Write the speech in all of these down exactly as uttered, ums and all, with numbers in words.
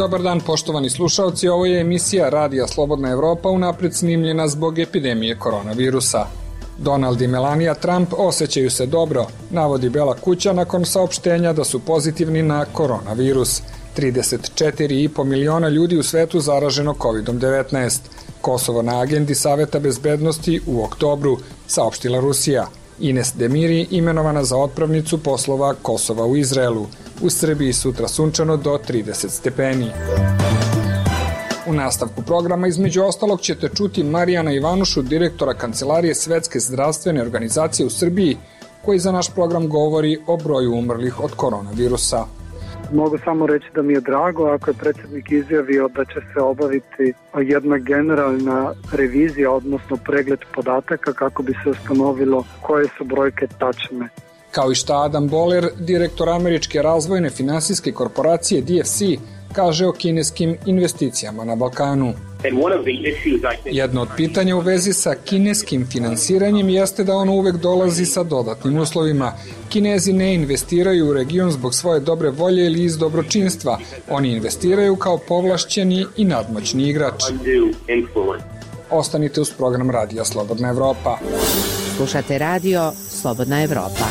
Dobar dan, poštovani slušalci, ovo je emisija Radija Slobodna Evropa, unapred snimljena zbog epidemije koronavirusa. Donald i Melania Trump osjećaju se dobro, navodi Bela kuća nakon saopštenja da su pozitivni na koronavirus. trideset četiri i po miliona ljudi u svetu zaraženo kovid devetnaest. Kosovo na agendi Saveta bezbednosti u oktobru, saopštila Rusija. Ines Demiri imenovana za otpravnicu poslova Kosova u Izraelu. U Srbiji sutra sunčano do trideset stepeni. U nastavku programa između ostalog ćete čuti Marijana Ivanušu, direktora Kancelarije Svetske zdravstvene organizacije u Srbiji, koji za naš program govori o broju umrlih od koronavirusa. Mogu samo reći da mi je drago ako je predsjednik izjavio da će se obaviti jedna generalna revizija, odnosno pregled podataka kako bi se ustanovilo koje su brojke tačne. Kao i šta Adam Boller, direktor američke razvojne finansijske korporacije D F C, kaže o kineskim investicijama na Balkanu. Jedno od pitanja u vezi sa kineskim finansiranjem jeste da ono uvek dolazi sa dodatnim uslovima. Kinezi ne investiraju u region zbog svoje dobre volje ili iz dobročinstva. Oni investiraju kao povlašćeni i nadmoćni igrač. Ostanite uz program Radija Slobodna Evropa. Slušate radio Slobodna Evropa.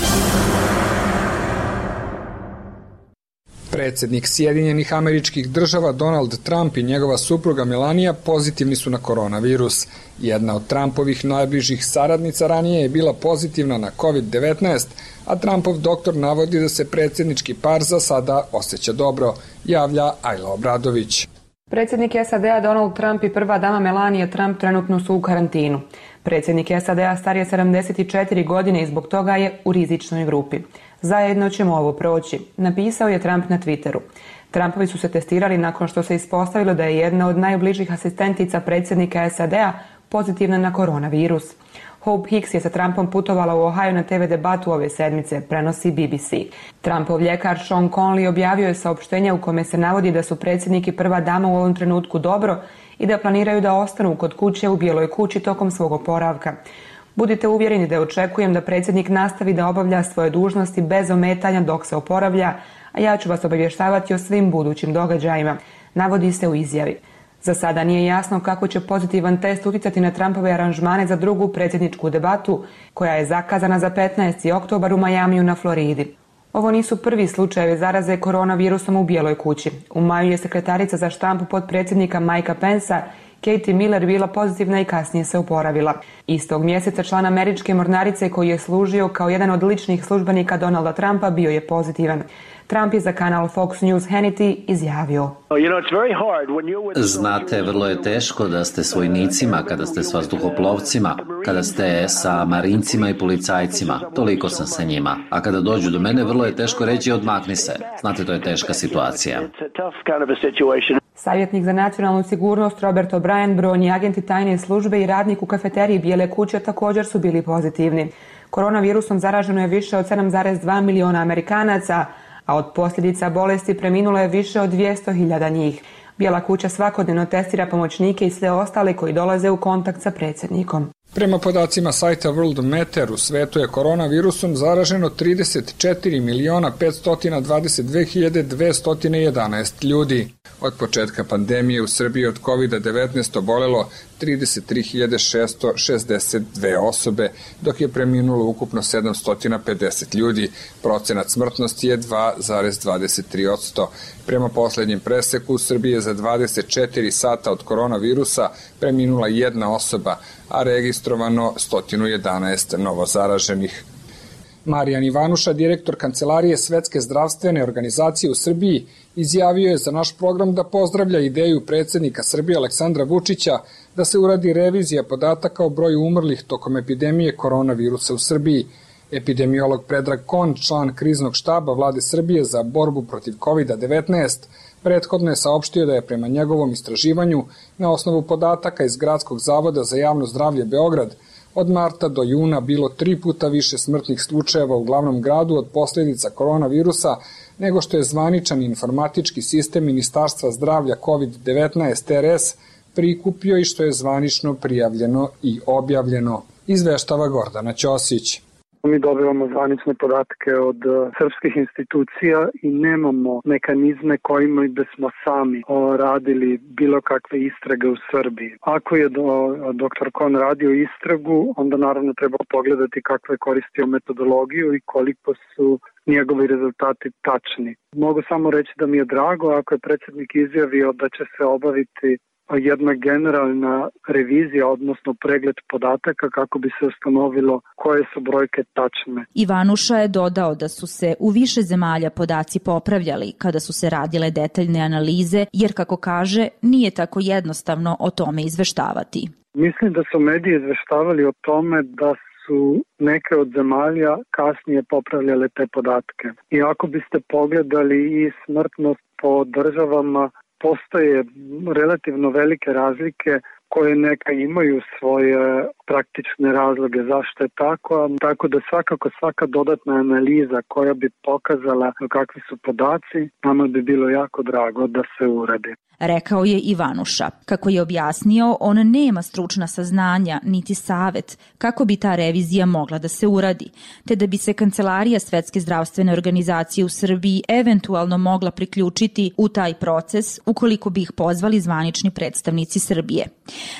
Predsjednik Sjedinjenih Američkih Država Donald Trump i njegova supruga Melania pozitivni su na koronavirus. Jedna od Trumpovih najbližih saradnica ranije je bila pozitivna na kovid devetnaest, a Trumpov doktor navodi da se predsjednički par za sada osjeća dobro, javlja Ajla Obradović. Predsjednik S A D-a Donald Trump i prva dama Melania Trump trenutno su u karantinu. Predsjednik S A D-a star je sedamdeset četiri godine i zbog toga je u rizičnoj grupi. Zajedno ćemo ovo proći, napisao je Trump na Twitteru. Trumpovi su se testirali nakon što se ispostavilo da je jedna od najbližih asistentica predsjednika S A D-a pozitivna na koronavirus. Hope Hicks je sa Trumpom putovala u Ohio na te ve debatu ove sedmice, prenosi B B C. Trumpov ljekar Sean Conley objavio je saopštenje u kome se navodi da su predsjednik i prva dama u ovom trenutku dobro i da planiraju da ostanu kod kuće u Bijeloj kući tokom svog oporavka. Budite uvjereni da očekujem da predsjednik nastavi da obavlja svoje dužnosti bez ometanja dok se oporavlja, a ja ću vas obavještavati o svim budućim događajima, navodi se u izjavi. Za sada nije jasno kako će pozitivan test uticati na Trumpove aranžmane za drugu predsjedničku debatu, koja je zakazana za petnaesti oktobar u Majamiju na Floridi. Ovo nisu prvi slučajevi zaraze koronavirusom u Bijeloj kući. U maju je sekretarica za štampu potpredsjednika Mikea Pensa, Katie Miller, bila pozitivna i kasnije se oporavila. Istog mjeseca član američke mornarice koji je služio kao jedan od ličnih službenika Donalda Trumpa bio je pozitivan. Trump je za kanal Fox News Hannity izjavio. Znate, vrlo je teško da ste s vojnicima, kada ste s vazduhoplovcima, kada ste sa marincima i policajcima. Toliko sam sa njima. A kada dođu do mene, vrlo je teško reći odmakni se. Znate, to je teška situacija. Savjetnik za nacionalnu sigurnost Robert O'Brien, brojni agenti tajne službe i radnik u kafeteriji Bijele kuće također su bili pozitivni. Koronavirusom zaraženo je više od sedam zarez dva miliona Amerikanaca, a od posljedica bolesti preminulo je više od dvjesto hiljada njih. Bijela kuća svakodnevno testira pomoćnike i sve ostale koji dolaze u kontakt sa predsjednikom. Prema podacima sajta World Meter, u svetu je koronavirusom zaraženo trideset četiri miliona petsto dvadeset dve hiljade dvesta jedanaest ljudi. Od početka pandemije u Srbiji od kovid devetnaest obolelo trideset tri hiljade šesto šezdeset dve osobe, dok je preminulo ukupno sedamsto pedeset ljudi. Procenat smrtnosti je dva zarez dvadeset tri posto. Prema posljednjem preseku u Srbiji je za dvadeset četiri sata od koronavirusa preminula jedna osoba, a registrovano sto jedanaest novozaraženih. Marijan Ivanuša, direktor Kancelarije Svetske zdravstvene organizacije u Srbiji, izjavio je za naš program da pozdravlja ideju predsjednika Srbije Aleksandra Vučića da se uradi revizija podataka o broju umrlih tokom epidemije koronavirusa u Srbiji. Epidemiolog Predrag Kon, član kriznog štaba vlade Srbije za borbu protiv kovid devetnaest, prethodno je saopštio da je prema njegovom istraživanju na osnovu podataka iz Gradskog zavoda za javno zdravlje Beograd od marta do juna bilo tri puta više smrtnih slučajeva u glavnom gradu od posljedica koronavirusa nego što je zvaničan informatički sistem Ministarstva zdravlja kovid devetnaest R S prikupio i što je zvanično prijavljeno i objavljeno, izveštava Gordana Ćosić. Mi dobivamo zvanične podatke od srpskih institucija i nemamo mehanizme kojima bismo sami radili bilo kakve istrage u Srbiji. Ako je do, doktor Kon radio istragu, onda naravno treba pogledati kakve je koristio metodologiju i koliko su njegovi rezultati tačni. Mogu samo reći da mi je drago ako je predsjednik izjavio da će se obaviti jedna generalna revizija, odnosno pregled podataka kako bi se ustanovilo koje su brojke tačne. Ivanuša je dodao da su se u više zemalja podaci popravljali kada su se radile detaljne analize, jer kako kaže, nije tako jednostavno o tome izveštavati. Mislim da su mediji izveštavali o tome da su neke od zemalja kasnije popravljale te podatke. I ako biste pogledali i smrtnost po državama, postoje relativno velike razlike koje neka imaju svoje praktične razloge zašto je tako, tako da svakako svaka dodatna analiza koja bi pokazala kakvi su podaci, nama bi bilo jako drago da se uradi. Rekao je Ivanuša. Kako je objasnio, on nema stručna saznanja niti savet kako bi ta revizija mogla da se uradi, te da bi se Kancelarija Svetske zdravstvene organizacije u Srbiji eventualno mogla priključiti u taj proces ukoliko bi ih pozvali zvanični predstavnici Srbije.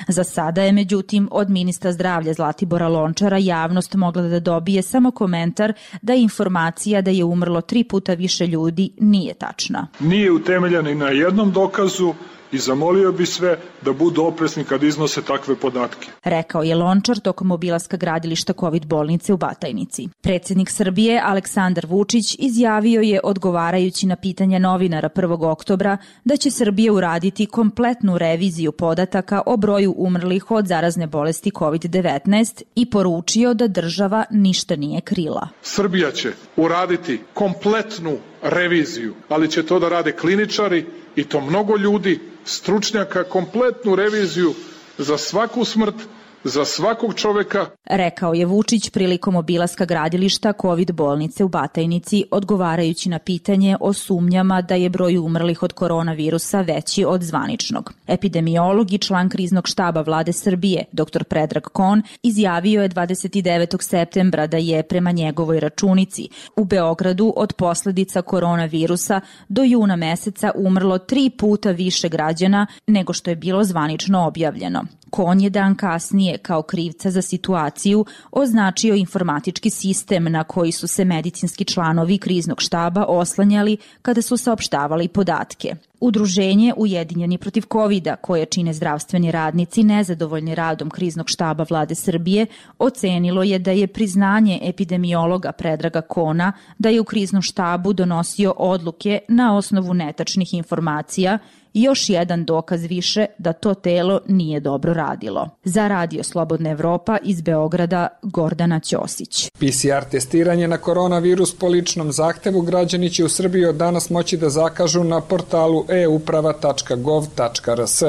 Za sada je, međutim, od ministra zdravlja Zlatibora Lončara javnost mogla da dobije samo komentar da je informacija da je umrlo tri puta više ljudi nije tačna. Nije utemeljena i na jednom dokazu i zamolio bi sve da budu oprezni kad iznose takve podatke. Rekao je Lončar tokom obilaska gradilišta kovid bolnice u Batajnici. Predsjednik Srbije Aleksandar Vučić izjavio je, odgovarajući na pitanje novinara prvog oktobra, da će Srbija uraditi kompletnu reviziju podataka o broju umrlih od zarazne bolesti kovid devetnaest i poručio da država ništa nije krila. Srbija će uraditi kompletnu reviziju, ali će to da rade kliničari i to mnogo ljudi, stručnjaka, kompletnu reviziju za svaku smrt, za svakog čoveka. Rekao je Vučić prilikom obilaska gradilišta kovid bolnice u Batajnici, odgovarajući na pitanje o sumnjama da je broj umrlih od koronavirusa veći od zvaničnog. Epidemiolog i član kriznog štaba vlade Srbije, doktor Predrag Kon, izjavio je dvadeset devetog septembra da je prema njegovoj računici u Beogradu od posledica koronavirusa do juna meseca umrlo tri puta više građana nego što je bilo zvanično objavljeno. Kon je dan kasnije kao krivca za situaciju označio informatički sistem na koji su se medicinski članovi kriznog štaba oslanjali kada su saopštavali podatke. Udruženje Ujedinjeni protiv kovida, koje čine zdravstveni radnici nezadovoljni radom kriznog štaba vlade Srbije, ocenilo je da je priznanje epidemiologa Predraga Kona da je u kriznom štabu donosio odluke na osnovu netačnih informacija još jedan dokaz više da to telo nije dobro radilo. Za Radio Slobodna Evropa iz Beograda, Gordana Ćosić. P C R testiranje na koronavirus po ličnom zahtevu građani će u Srbiji od danas moći da zakažu na portalu e uprava tačka gov tačka r s.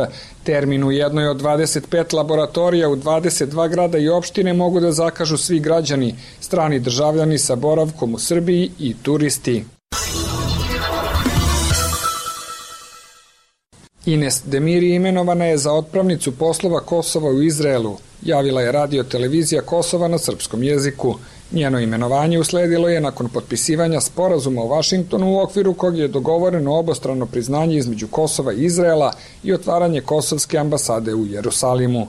Termin u jednoj od dvadeset pet laboratorija u dvadeset dva grada i opštine mogu da zakažu svi građani, strani državljani sa boravkom u Srbiji i turisti. Ines Demiri imenovana je za otpravnicu poslova Kosova u Izraelu, javila je radio televizija Kosova na srpskom jeziku. Njeno imenovanje usledilo je nakon potpisivanja sporazuma u Vašingtonu u okviru kog je dogovoreno obostrano priznanje između Kosova i Izraela i otvaranje kosovske ambasade u Jerusalimu.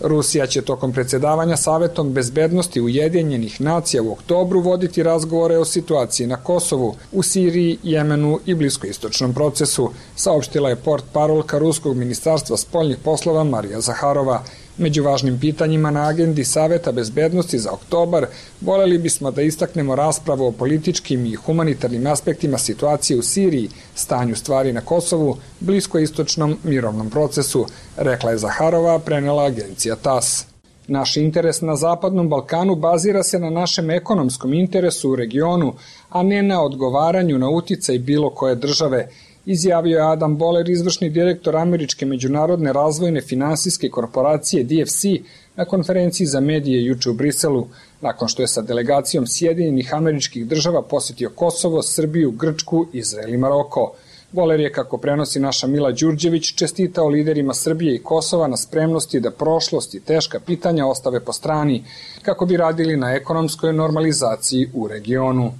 Rusija će tokom predsjedavanja Savetom bezbednosti Ujedinjenih nacija u oktobru voditi razgovore o situaciji na Kosovu, u Siriji, Jemenu i bliskoistočnom procesu, saopštila je portparolka Ruskog ministarstva spoljnih poslova Marija Zaharova. Među važnim pitanjima na agendi Saveta bezbednosti za oktobar voljeli bismo da istaknemo raspravu o političkim i humanitarnim aspektima situacije u Siriji, stanju stvari na Kosovu, bliskoistočnom mirovnom procesu, rekla je Zaharova, prenela agencija TAS. Naš interes na Zapadnom Balkanu bazira se na našem ekonomskom interesu u regionu, a ne na odgovaranju na uticaj bilo koje države, izjavio je Adam Boller, izvršni direktor Američke međunarodne razvojne finansijske korporacije D F C na konferenciji za medije juče u Briselu, nakon što je sa delegacijom Sjedinjenih Američkih Država posjetio Kosovo, Srbiju, Grčku, Izrael i Maroko. Boler je, kako prenosi naša Mila Đurđević, čestitao liderima Srbije i Kosova na spremnosti da prošlost i teška pitanja ostave po strani, kako bi radili na ekonomskoj normalizaciji u regionu.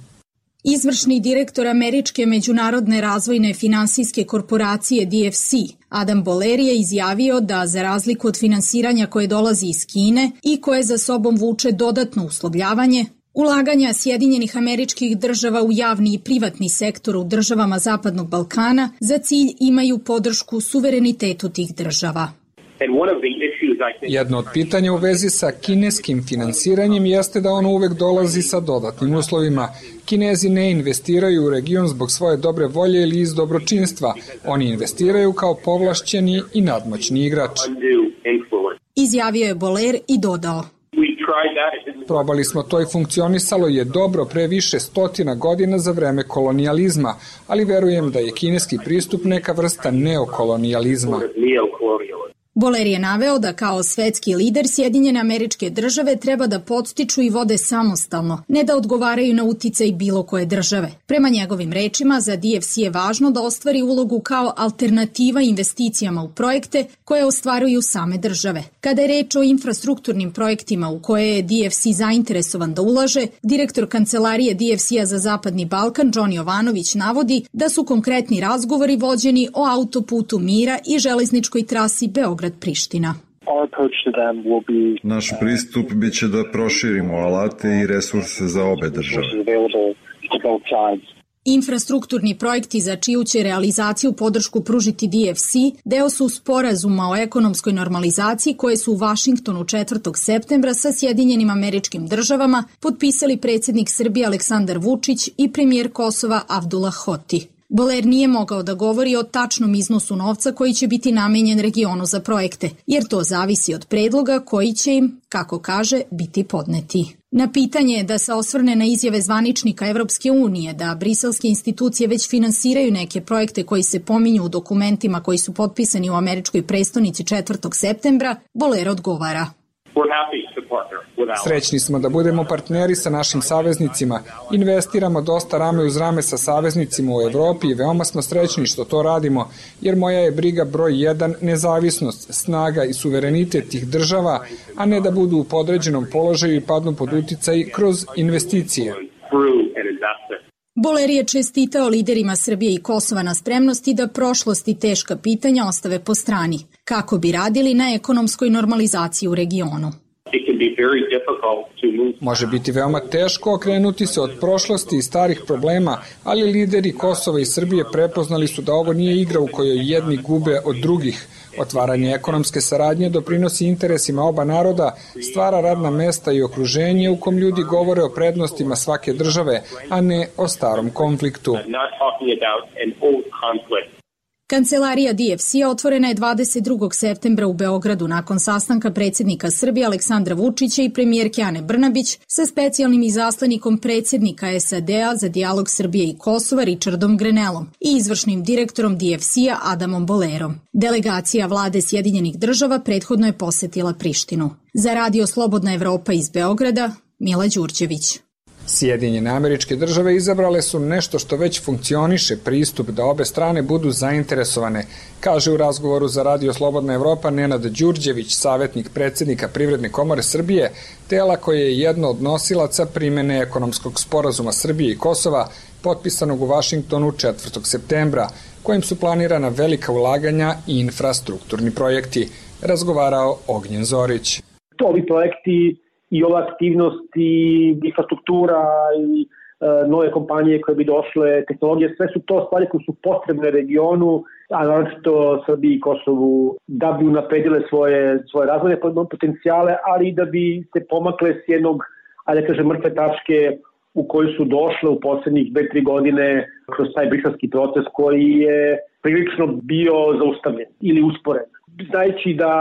Izvršni direktor Američke međunarodne razvojne finansijske korporacije D F C, Adam Boler, je izjavio da za razliku od finansiranja koje dolazi iz Kine i koje za sobom vuče dodatno uslovljavanje, ulaganja Sjedinjenih Američkih Država u javni i privatni sektor u državama Zapadnog Balkana za cilj imaju podršku suverenitetu tih država. Jedno od pitanja u vezi sa kineskim finansiranjem jeste da ono uvek dolazi sa dodatnim uslovima. Kinezi ne investiraju u region zbog svoje dobre volje ili iz dobročinstva. Oni investiraju kao povlašćeni i nadmoćni igrač. Izjavio je Boler i dodao: Probali smo to i funkcionisalo je dobro pre više stotina godina za vreme kolonijalizma, ali verujem da je kineski pristup neka vrsta neokolonijalizma. Boler je naveo da kao svetski lider Sjedinjene Američke Države treba da podstiču i vode samostalno, ne da odgovaraju na uticaj bilo koje države. Prema njegovim rečima, za D F C je važno da ostvari ulogu kao alternativa investicijama u projekte koje ostvaruju same države. Kada je reč o infrastrukturnim projektima u koje je D F C zainteresovan da ulaže, direktor kancelarije D F C-a za Zapadni Balkan John Jovanović navodi da su konkretni razgovori vođeni o autoputu mira i železničkoj trasi Beograd Priština. Naš pristup biće da proširimo alate i resurse za obe države. Infrastrukturni projekti za čiju će realizaciju podršku pružiti D F C deo su sporazuma o ekonomskoj normalizaciji koje su u Vašingtonu četvrtog septembra sa Sjedinjenim Američkim Državama potpisali predsjednik Srbije Aleksandar Vučić i premijer Kosova Abdullah Hoti. Boler nije mogao da govori o tačnom iznosu novca koji će biti namenjen regionu za projekte, jer to zavisi od predloga koji će im, kako kaže, biti podneti. Na pitanje da se osvrne na izjave zvaničnika Evropske unije da briselske institucije već finansiraju neke projekte koji se pominju u dokumentima koji su potpisani u američkoj prestonici četvrtog septembra, Boler odgovara: Srećni smo da budemo partneri sa našim saveznicima. Investiramo dosta rame uz rame sa saveznicima u Evropi i veoma smo srećni što to radimo, jer moja je briga broj jedan nezavisnost, snaga i suverenitet tih država, a ne da budu u podređenom položaju i padnu pod uticaj kroz investicije. Boler je čestitao liderima Srbije i Kosova na spremnosti da prošlost i teška pitanja ostave po strani, kako bi radili na ekonomskoj normalizaciji u regionu. Može biti veoma teško okrenuti se od prošlosti i starih problema, ali lideri Kosova i Srbije prepoznali su da ovo nije igra u kojoj jedni gube od drugih. Otvaranje ekonomske saradnje doprinosi interesima oba naroda, stvara radna mesta i okruženje u kom ljudi govore o prednostima svake države, a ne o starom konfliktu. Kancelarija D F C otvorena je dvadeset drugog septembra u Beogradu nakon sastanka predsjednika Srbije Aleksandra Vučića i premijerke Ane Brnabić sa specijalnim izaslanikom predsjednika S A D-a za dijalog Srbije i Kosova Richardom Grenellom i izvršnim direktorom D F C-a Adamom Bolerom. Delegacija vlade Sjedinjenih Država prethodno je posetila Prištinu. Za Radio Slobodna Evropa iz Beograda, Mila Đurđević. Sjedinjene Američke Države izabrale su nešto što već funkcioniše, pristup da obe strane budu zainteresovane, kaže u razgovoru za Radio Slobodna Evropa Nenad Đurđević, savjetnik predsjednika Privredne komore Srbije, tela koje je jedno od nosilaca primene ekonomskog sporazuma Srbije i Kosova, potpisanog u Vašingtonu četvrtog septembra, kojim su planirana velika ulaganja i infrastrukturni projekti, razgovarao Ognjen Zorić. Ovi projekti i ova aktivnost i infrastruktura i e, nove kompanije koje bi došle, tehnologije, sve su to stvari koje su potrebne regionu, a naročito Srbiji i Kosovu, da bi unapredile svoje, svoje razvojne potencijale, ali i da bi se pomakle s jednog, ajde kažem, mrtve tačke u koju su došle u poslednjih dve tri godine kroz taj briselski proces koji je prilično bio zaustavljen ili usporen. Znajući da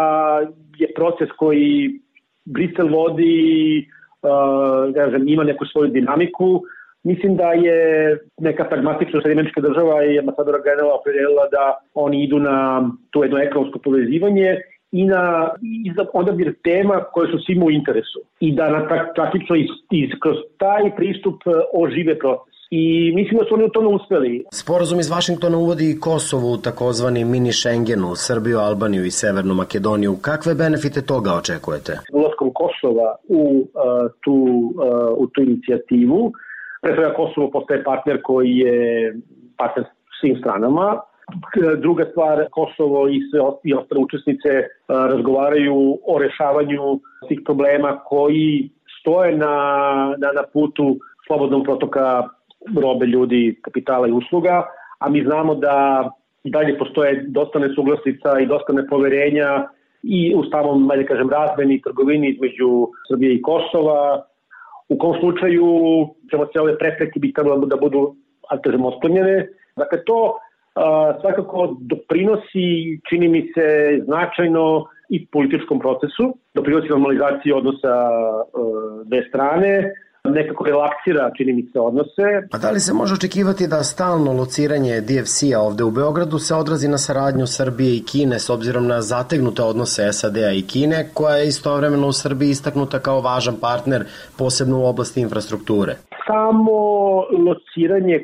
je proces koji Brisel vodi, uh, ima neku svoju dinamiku. Mislim da je neka pragmatična Sjedinjenička država i ambasadora Grenella opredelila da oni idu na to jedno ekonomsko povezivanje i na i za odabir tema koje su svima u interesu i da na praktično iz, iz, kroz taj pristup ožive proces. i mislim da su oni u tome uspeli. Sporazum iz Vašingtona uvodi Kosovo u takozvani mini Schengenu, Srbiju, Albaniju i Severnu Makedoniju. Kakve benefite toga očekujete? Ulaskom Kosova u, uh, tu, uh, u tu inicijativu, pre svega Kosovo postaje partner koji je partner svim stranama. Druga stvar, Kosovo i sve i ostale učesnice uh, razgovaraju o rešavanju tih problema koji stoje na, na, na putu slobodnog protoka robe, ljudi, kapitala i usluga, a mi znamo da dalje postoje dosta nesuglasica i dosta nepoverenja i u samom, ajde kažem, razmeni i trgovini između Srbije i Kosova. U kom slučaju ćemo se ove prepreke bi trebalo da budu, ajde kažem, otklonjene. Dakle, to a, svakako doprinosi, čini mi se, značajno i političkom procesu, doprinosi normalizaciji odnosa a, dve strane, nekako relaksira, čini mi se, odnose. A da li se može očekivati da stalno lociranje D F C-a ovde u Beogradu se odrazi na saradnju Srbije i Kine s obzirom na zategnute odnose S A D-a i Kine, koja je istovremeno u Srbiji istaknuta kao važan partner, posebno u oblasti infrastrukture? Samo lociranje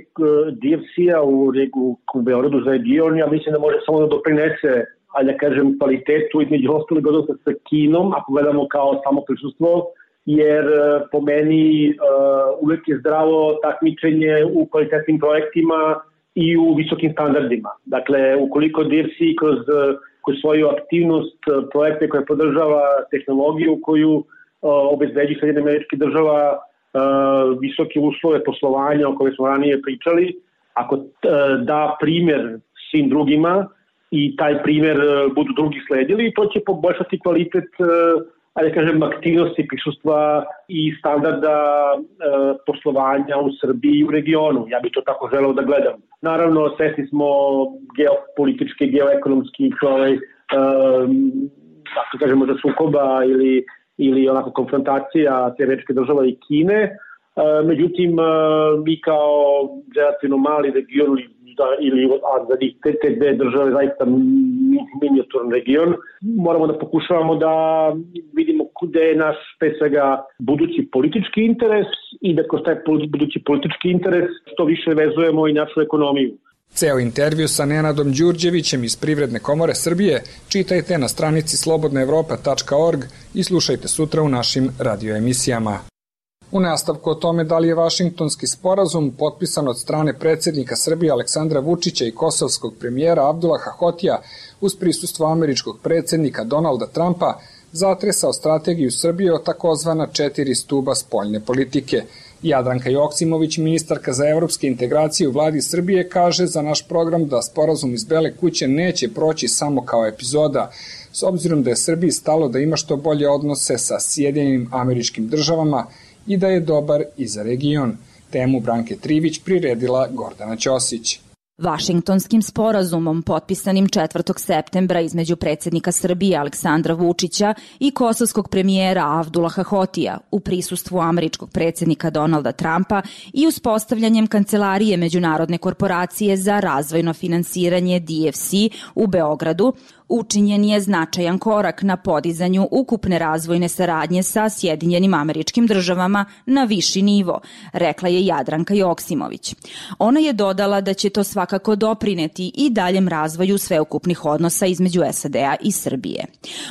D F C-a u, u, u Beogradu za region, ja mislim da može samo da doprinese, ali da kažem, kvalitetu između ostalih odnosa sa Kinom, ako gledamo kao samo prisustvo, jer po meni uh, uvek je zdravo takmičenje u kvalitetnim projektima i u visokim standardima. Dakle, ukoliko D F C kroz, kroz svoju aktivnost projekte koje podržava tehnologiju koju uh, obezbeđi Sjedinjenih Američkih Država, uh, visoke uslove poslovanja o kojoj smo ranije pričali, ako uh, da primjer svim drugima i taj primjer uh, budu drugi sledili, to će poboljšati kvalitet uh, ali kažem, aktivnosti, prisustva i standarda e, poslovanja u Srbiji i u regionu. Ja bih to tako želeo da gledam. Naravno, svesni smo geopolitičke, geoekonomskih, ovaj, e, tako kažemo, za sukoba ili, ili onako konfrontacija Američke države i Kine. E, međutim, e, mi kao relativno mali region da, ili a za te, te dve države zaista minijaturni region, moramo da pokušavamo da vidimo gde je naš, pre svega, budući politički interes i da kroz taj budući politički interes što više vezujemo i našu ekonomiju. Ceo intervju sa Nenadom Đurđevićem iz Privredne komore Srbije čitajte na stranici slobodna evropa tačka org i slušajte sutra u našim radioemisijama. U nastavku o tome da li je Vašingtonski sporazum potpisan od strane predsjednika Srbije Aleksandra Vučića i kosovskog premijera Abdulaha Hotija uz prisustvo američkog predsjednika Donalda Trumpa zatresao strategiju Srbije o takozvana četiri stuba spoljne politike. Jadranka Joksimović, ministarka za evropske integracije u vladi Srbije, kaže za naš program da sporazum iz Bele kuće neće proći samo kao epizoda, s obzirom da je Srbiji stalo da ima što bolje odnose sa Sjedinjenim Američkim Državama i da je dobar i za region. Temu Branke Trivić priredila Gordana Ćosić. Vašingtonskim sporazumom potpisanim četvrtog septembra između predsjednika Srbije Aleksandra Vučića i kosovskog premijera Abdulaha Hotija u prisustvu američkog predsjednika Donalda Trumpa i uspostavljanjem Kancelarije Međunarodne korporacije za razvojno finansiranje D F C u Beogradu, učinjen je značajan korak na podizanju ukupne razvojne saradnje sa Sjedinjenim Američkim Državama na viši nivo, rekla je Jadranka Joksimović. Ona je dodala da će to svakako doprineti i daljem razvoju sveukupnih odnosa između S A D-a i Srbije.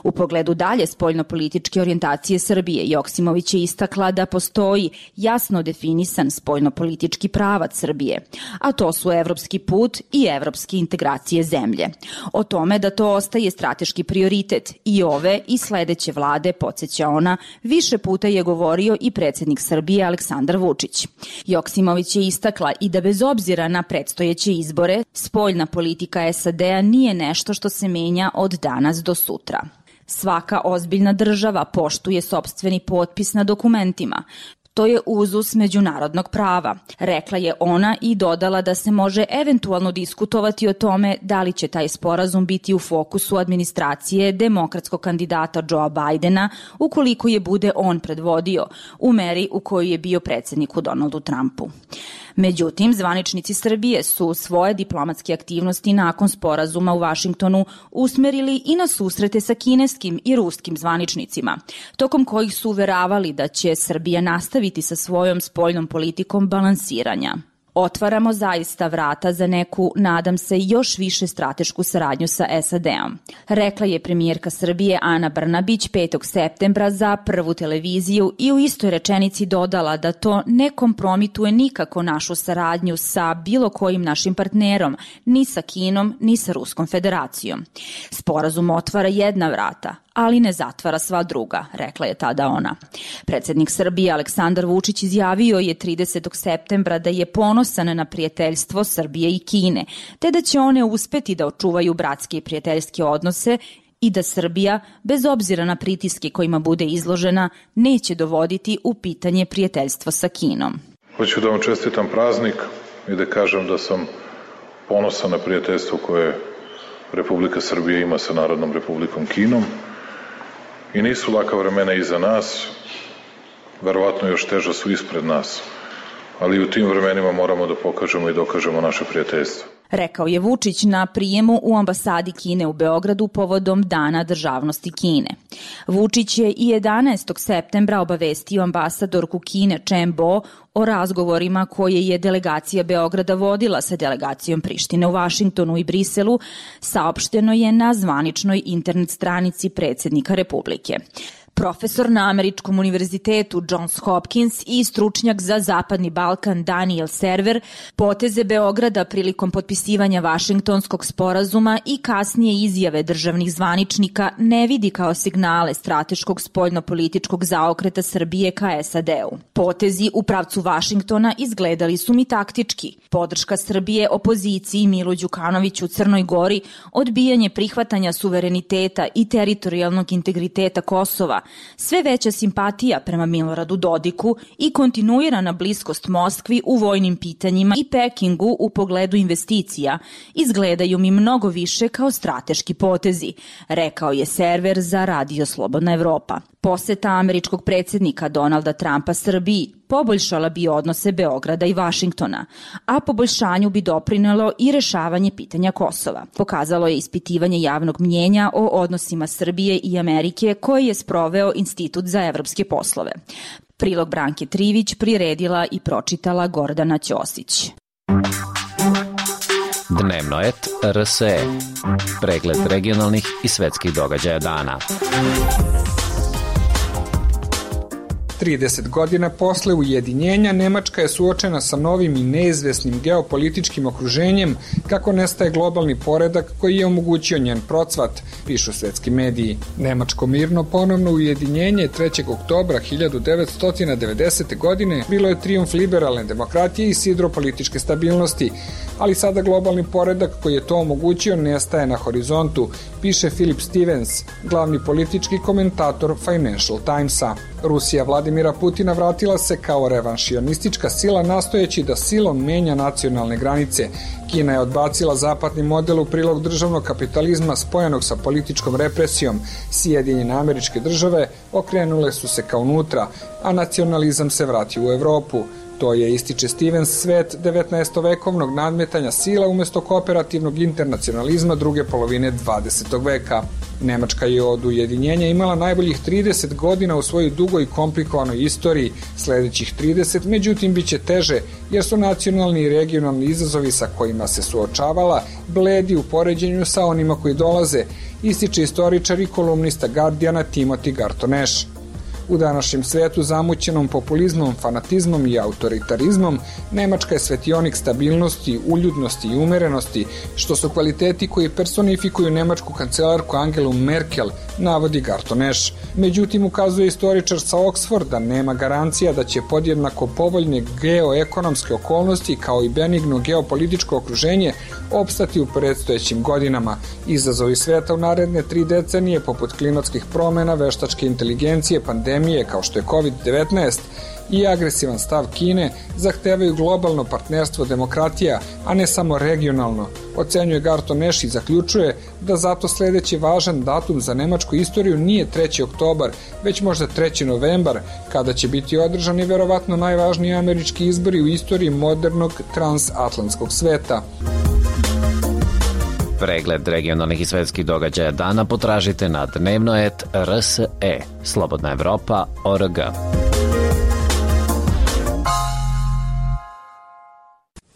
U pogledu dalje spoljnopolitičke orijentacije Srbije, Joksimović je istakla da postoji jasno definisan spoljnopolitički pravac Srbije, a to su evropski put i evropske integracije zemlje. O tome da to ostaje strateški prioritet i ove i sledeće vlade, podsjeća ona, više puta je govorio i predsjednik Srbije Aleksandar Vučić. Joksimović je istakla i da bez obzira na predstojeće izbore, spoljna politika S A D-a nije nešto što se menja od danas do sutra. Svaka ozbiljna država poštuje sopstveni potpis na dokumentima. To je uzus međunarodnog prava, rekla je ona i dodala da se može eventualno diskutovati o tome da li će taj sporazum biti u fokusu administracije demokratskog kandidata Joea Bidena ukoliko je bude on predvodio, u meri u kojoj je bio predsjedniku Donaldu Trumpu. Međutim, zvaničnici Srbije su svoje diplomatske aktivnosti nakon sporazuma u Vašingtonu usmerili i na susrete sa kineskim i ruskim zvaničnicima, tokom kojih su uveravali da će Srbija nastaviti sa svojom spoljnom politikom balansiranja. Otvaramo zaista vrata za neku, nadam se, još više stratešku saradnju sa S A D-om, rekla je premijerka Srbije Ana Brnabić petog septembra za Prvu televiziju i u istoj rečenici dodala da to ne kompromituje nikako našu saradnju sa bilo kojim našim partnerom, ni sa Kinom, ni sa Ruskom federacijom. Sporazum otvara jedna vrata, ali ne zatvara sva druga, rekla je tada ona. Predsednik Srbije Aleksandar Vučić izjavio je tridesetog septembra da je ponosan na prijateljstvo Srbije i Kine, te da će one uspeti da očuvaju bratske i prijateljske odnose i da Srbija, bez obzira na pritiske kojima bude izložena, neće dovoditi u pitanje prijateljstvo sa Kinom. Hoću da vam čestitam praznik i da kažem da sam ponosan na prijateljstvo koje Republika Srbija ima sa Narodnom Republikom Kinom. I nisu laka vremena iza nas, verovatno još teža su ispred nas, ali u tim vremenima moramo da pokažemo i dokažemo naše prijateljstvo. Rekao je Vučić na prijemu u ambasadi Kine u Beogradu povodom Dana državnosti Kine. Vučić je i jedanaestog septembra obavestio ambasadorku Kine Chen Bo o razgovorima koje je delegacija Beograda vodila sa delegacijom Prištine u Vašingtonu i Briselu, saopšteno je na zvaničnoj internet stranici predsednika Republike. Profesor na Američkom univerzitetu Johns Hopkins i stručnjak za Zapadni Balkan Daniel Server poteze Beograda prilikom potpisivanja Vašingtonskog sporazuma i kasnije izjave državnih zvaničnika ne vidi kao signale strateškog spoljnopolitičkog zaokreta Srbije ka S A D-u. Potezi u pravcu Vašingtona izgledali su mi taktički. Podrška Srbije opoziciji Milu Đukanoviću u Crnoj Gori, odbijanje prihvatanja suvereniteta i teritorijalnog integriteta Kosova, sve veća simpatija prema Miloradu Dodiku i kontinuirana bliskost Moskvi u vojnim pitanjima i Pekingu u pogledu investicija izgledaju mi mnogo više kao strateški potezi, rekao je Server za Radio Slobodna Evropa. Poseta američkog predsednika Donalda Trumpa Srbiji poboljšala bi odnose Beograda i Vašingtona, a poboljšanju bi doprinelo i rešavanje pitanja Kosova. Pokazalo je ispitivanje javnog mnjenja o odnosima Srbije i Amerike koje je sproveo Institut za evropske poslove. Prilog Branke Trivić priredila i pročitala Gordana Ćosić. Dnevno et R S E. Pregled regionalnih i svetskih događaja dana. trideset godina posle ujedinjenja Nemačka je suočena sa novim i neizvesnim geopolitičkim okruženjem kako nestaje globalni poredak koji je omogućio njen procvat, pišu svetski mediji. Nemačko mirno ponovno ujedinjenje trećeg oktobra hiljadu devetsto devedesete. godine bilo je trijumf liberalne demokratije i sidro političke stabilnosti, ali sada globalni poredak koji je to omogućio nestaje na horizontu, piše Philip Stevens, glavni politički komentator Financial Timesa. Rusija Vladimira Putina vratila se kao revanšionistička sila nastojeći da silom menja nacionalne granice. Kina je odbacila zapadni model u prilog državnog kapitalizma spojenog sa političkom represijom. Sjedinjene Američke Države okrenule su se ka unutra, a nacionalizam se vratio u Evropu. To je, ističe Stevens, svet devetnaestovekovnog nadmetanja sila umesto kooperativnog internacionalizma druge polovine dvadesetog veka. Nemačka je od ujedinjenja imala najboljih trideset godina u svojoj dugoj i komplikovanoj istoriji. Sledećih trideset, međutim, bit će teže, jer su nacionalni i regionalni izazovi sa kojima se suočavala bledi u poređenju sa onima koji dolaze, ističe istoričar i kolumnista Guardiana Timothy Garton-Ash. U današnjem svetu zamućenom populizmom, fanatizmom i autoritarizmom, Nemačka je svetionik stabilnosti, uljudnosti i umerenosti, što su kvaliteti koji personifikuju nemačku kancelarku Angelu Merkel, navodi Garton-Ash. Međutim, ukazuje istoričar sa Oxforda, nema garancija da će podjednako povoljne geoekonomske okolnosti kao i benigno geopolitičko okruženje opstati u predstojećim godinama. Izazovi sveta u naredne tri decenije, poput klimatskih promena, veštačke inteligencije, pandemije kao što je kovid devetnaest i agresivan stav Kine, zahtevaju globalno partnerstvo demokratija, a ne samo regionalno, ocenjuje Garton-Ash i zaključuje da zato sledeći važan datum za nemačku istoriju nije treći oktobar, već možda treći novembar, kada će biti održani verovatno najvažniji američki izbori u istoriji modernog transatlantskog sveta. Pregled regionalnih i svetskih događaja dana potražite na dnevno et R S E, Slobodna Evropa, O R G.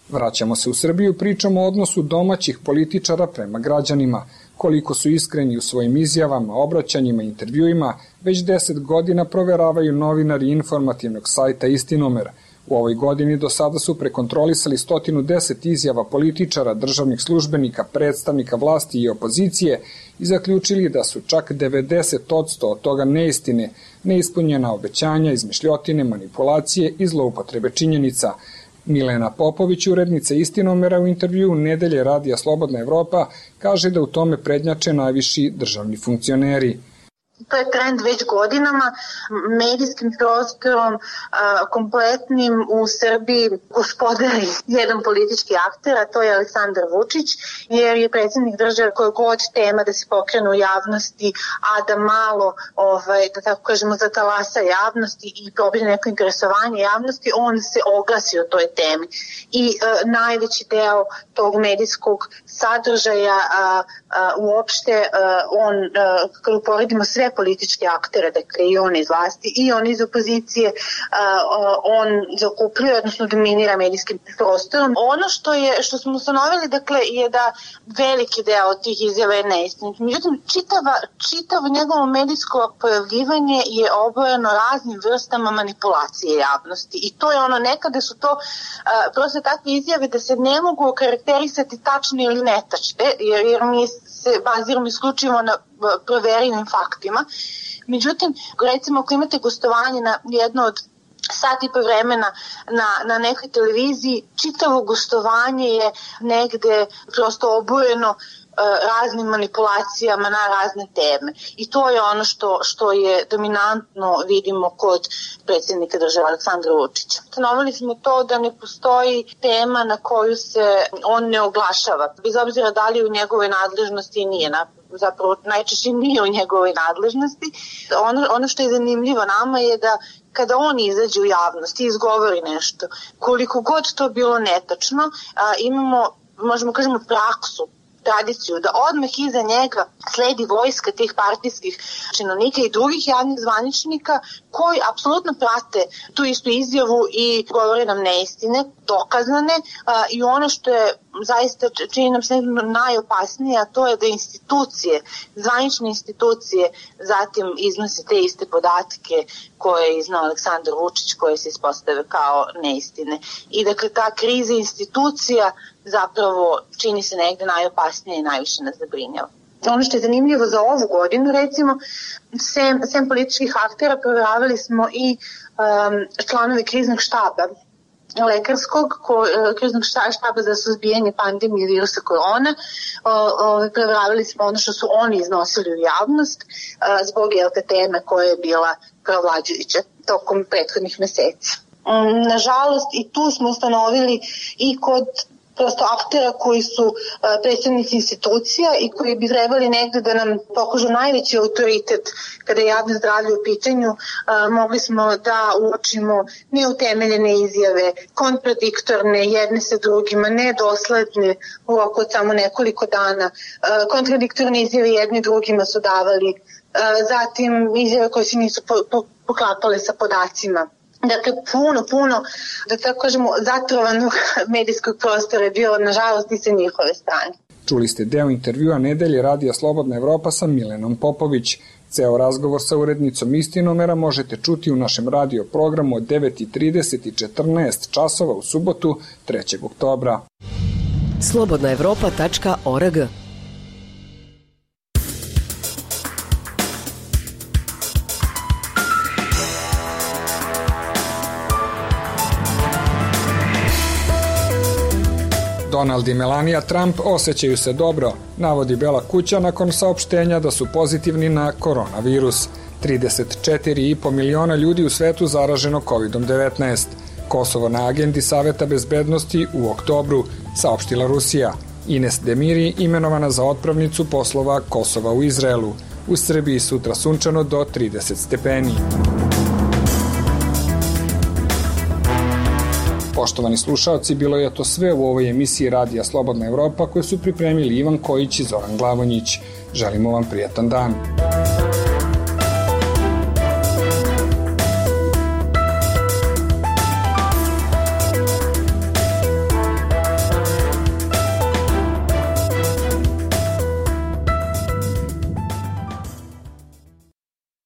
Vraćamo se u Srbiju, pričamo o odnosu domaćih političara prema građanima, koliko su iskreni u svojim izjavama, obraćanjima, intervjuima, već deset godina proveravaju novinari informativnog sajta Istinomer. U ovoj godini do sada su prekontrolisali sto deset izjava političara, državnih službenika, predstavnika vlasti i opozicije i zaključili da su čak devedeset posto od toga neistine, neispunjena obećanja, izmišljotine, manipulacije i zloupotrebe činjenica. Milena Popović, urednica Istinomera, u intervjuu Nedelje radija Slobodna Evropa, kaže da u tome prednjače najviši državni funkcioneri. To je trend već godinama, medijskim prostorom a, kompletnim u Srbiji gospodari jedan politički akter, a to je Aleksandar Vučić, jer je predsjednik države koje god tema da se pokrene u javnosti, a da malo, ovaj, da tako kažemo, zatalasa javnosti i probije neko interesovanje javnosti, on se oglasi o toj temi. I a, najveći deo tog medijskog sadržaja a, a, uopšte a, on, a, kada uporedimo sve političke aktere, dakle i on iz vlasti i on iz opozicije, on zakupljuje, odnosno dominira medijskim prostorom. Ono što je što smo ustanovili, dakle, je da veliki deo tih izjava je neistinit. Međutim, čitava, čitavo njegovo medijsko pojavljivanje je obojeno raznim vrstama manipulacije javnosti. I to je ono, nekada su to prosto takve izjave da se ne mogu okarakterisati tačne ili netačne, jer, jer mi se baziramo isključivo na proverenim faktima. Međutim, recimo ako imate gostovanje na jedno od sat i po vremena na, na nekoj televiziji, čitavo gostovanje je negde prosto obojeno raznim manipulacijama na razne teme. I to je ono što, što je dominantno vidimo kod predsjednika države Aleksandra Vučića. Stanovili smo to da ne postoji tema na koju se on ne oglašava, bez obzira da li u njegovoj nadležnosti nije, na, zapravo najčešće nije u njegovoj nadležnosti. Ono, ono što je zanimljivo nama je da kada on izađe u javnost i izgovori nešto, koliko god to bilo netačno, a, imamo, možemo kažemo, praksu, tradiciju, da odmah iza njega sledi vojska tih partijskih činovnika i drugih javnih zvaničnika koji apsolutno prate tu istu izjavu i govore nam neistine, dokazane, a, i ono što je zaista čini nam se najopasnije, a to je da institucije, zvanične institucije zatim iznose te iste podatke koje je iznao Aleksandar Vučić, koje se ispostave kao neistine. I dakle, ta kriza institucija zapravo čini se negde najopasnije i najviše nas zabrinjava. Ono što je zanimljivo za ovu godinu, recimo, sem, sem političkih aktera provjeravali smo i um, članove kriznog štaba lekarskog, ko, kriznog štaba za suzbijanje pandemije virusa korona. Provjeravali smo ono što su oni iznosili u javnost a, zbog jelte teme koja je bila provlađujuća tokom prethodnih meseci. Um, nažalost, i tu smo ustanovili i kod prosto aktera koji su uh, predstavnici institucija i koji bi trebali negde da nam pokažu najveći autoritet kada je javno zdravlje u pitanju, uh, mogli smo da uočimo neutemeljene izjave, kontradiktorne jedne sa drugima, nedosledne u roku od samo nekoliko dana, uh, kontradiktorne izjave jedni drugima su davali, uh, zatim izjave koje se nisu po, po, poklapale sa podacima. Dakle, puno, puno, da tako kažemo, zatrovanog medijskog prostora je bilo, nažalost, i sa njihove strane. Čuli ste deo intervjua Nedelje radija Slobodna Evropa sa Milenom Popović. Ceo razgovor sa urednicom Istinomera možete čuti u našem radio programu od devet trideset i četrnaest časova u subotu trećeg oktobra. slobodna evropa tačka org. Donald i Melania Trump osjećaju se dobro, navodi Bela kuća nakon saopštenja da su pozitivni na koronavirus. trideset četiri i po miliona ljudi u svetu zaraženo kovid devetnaest. Kosovo na agendi Saveta bezbednosti u oktobru, saopštila Rusija. Ines Demiri imenovana za otpravnicu poslova Kosova u Izraelu. U Srbiji sutra sunčano do trideset stepeni. Poštovani slušaoci, bilo je to sve u ovoj emisiji Radija Slobodna Evropa koju su pripremili Ivan Kojić i Zoran Glavonjić. Želimo vam prijatan dan.